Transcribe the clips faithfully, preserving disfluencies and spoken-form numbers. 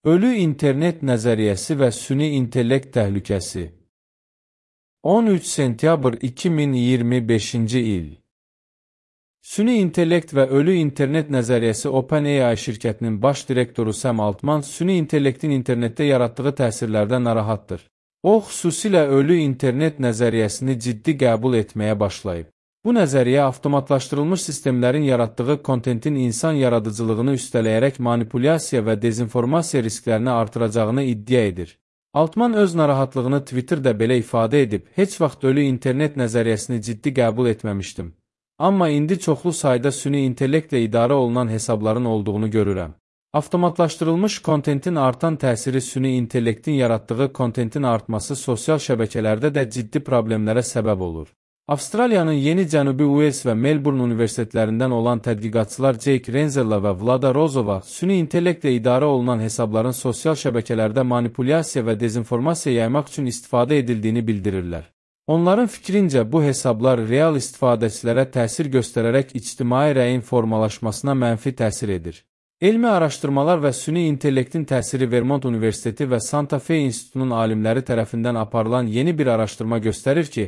Ölü internet nəzəriyyəsi və süni intellekt təhlükəsi. on üç sentyabr iki min iyirmi beşinci il. Süni intellekt və ölü internet nəzəriyyəsi OpenAI şirkətinin baş direktoru Sam Altman süni intellektin internetdə yaratdığı təsirlərdən narahatdır. O, xüsusilə ölü internet nəzəriyyəsini ciddi qəbul etməyə başlayıb. Bu nəzəriyyə avtomatlaşdırılmış sistemlərin yaratdığı kontentin insan yaradıcılığını üstələyərək manipulyasiya və dezinformasiya risklərini artıracağını iddia edir. Altman öz narahatlığını Twitterdə belə ifadə edib, heç vaxt ölü internet nəzəriyyəsini ciddi qəbul etməmişdim. Amma indi çoxlu sayda süni intellektlə idarə olunan hesabların olduğunu görürəm. Avtomatlaşdırılmış kontentin artan təsiri süni intellektin yaratdığı kontentin artması sosial şəbəkələrdə də ciddi problemlərə səbəb olur. Avstraliyanın Yeni Cənubi Uels və Melbourne universitetlərindən olan tədqiqatçılar Jake Renzella və Vlada Rozova süni intellektlə idarə olunan hesabların sosial şəbəkələrdə manipulyasiya və dezinformasiya yaymaq üçün istifadə edildiyini bildirirlər. Onların fikrincə bu hesablar real istifadəçilərə təsir göstərərək ictimai rəyin formalaşmasına mənfi təsir edir. Elmi araşdırmalar və süni intellektin təsiri Vermont Universiteti və Santa Fe İnstitutunun alimləri tərəfindən aparılan yeni bir araşdırma göstərir ki,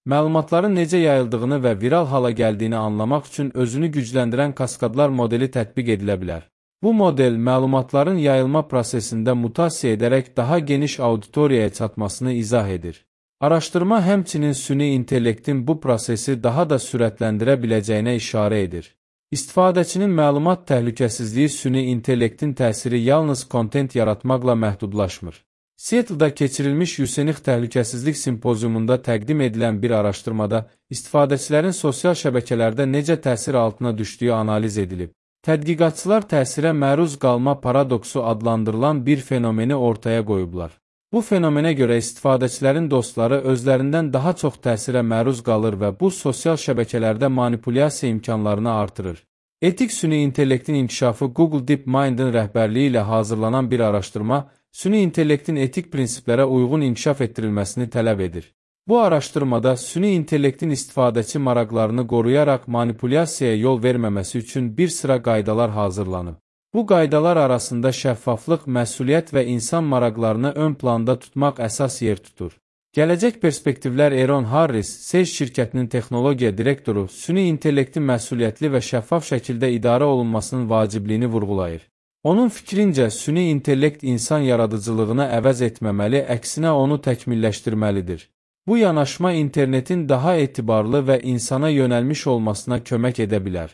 məlumatların necə yayıldığını və viral hala gəldiyini anlamaq üçün özünü gücləndirən kaskadlar modeli tətbiq edilə bilər. Bu model məlumatların yayılma prosesində mutasiya edərək daha geniş auditoriyaya çatmasını izah edir. Araşdırma həmçinin süni intellektin bu prosesi daha da sürətləndirə biləcəyinə işarə edir. İstifadəçinin məlumat təhlükəsizliyi süni intellektin təsiri yalnız kontent yaratmaqla məhdudlaşmır. Seattle-da keçirilmiş Yusenix Təhlükəsizlik Simpoziumunda təqdim edilən bir araşdırmada istifadəçilərin sosial şəbəkələrdə necə təsir altına düşdüyü analiz edilib. Tədqiqatçılar təsirə məruz qalma paradoksu adlandırılan bir fenomeni ortaya qoyublar. Bu fenomenə görə istifadəçilərin dostları özlərindən daha çox təsirə məruz qalır və bu sosial şəbəkələrdə manipulyasiya imkanlarını artırır. Etik süni intellektin inkişafı Google DeepMind'in rəhbərliyi ilə hazırlanan bir araşdırma, süni intellektin etik prinsiplərə uyğun inkişaf etdirilməsini tələb edir. Bu araşdırmada süni intellektin istifadəçi maraqlarını qoruyaraq manipulyasiyaya yol verməməsi üçün bir sıra qaydalar hazırlanıb. Bu qaydalar arasında şəffaflıq, məsuliyyət və insan maraqlarını ön planda tutmaq əsas yer tutur. Gələcək perspektivlər Eron Harris, Sage şirkətinin texnologiya direktoru, süni intellektin məsuliyyətli və şəffaf şəkildə idarə olunmasının vacibliyini vurğulayır. Onun fikrincə, süni intellekt insan yaradıcılığını əvəz etməməli, əksinə onu təkmilləşdirməlidir. Bu yanaşma internetin daha etibarlı və insana yönəlmiş olmasına kömək edə bilər.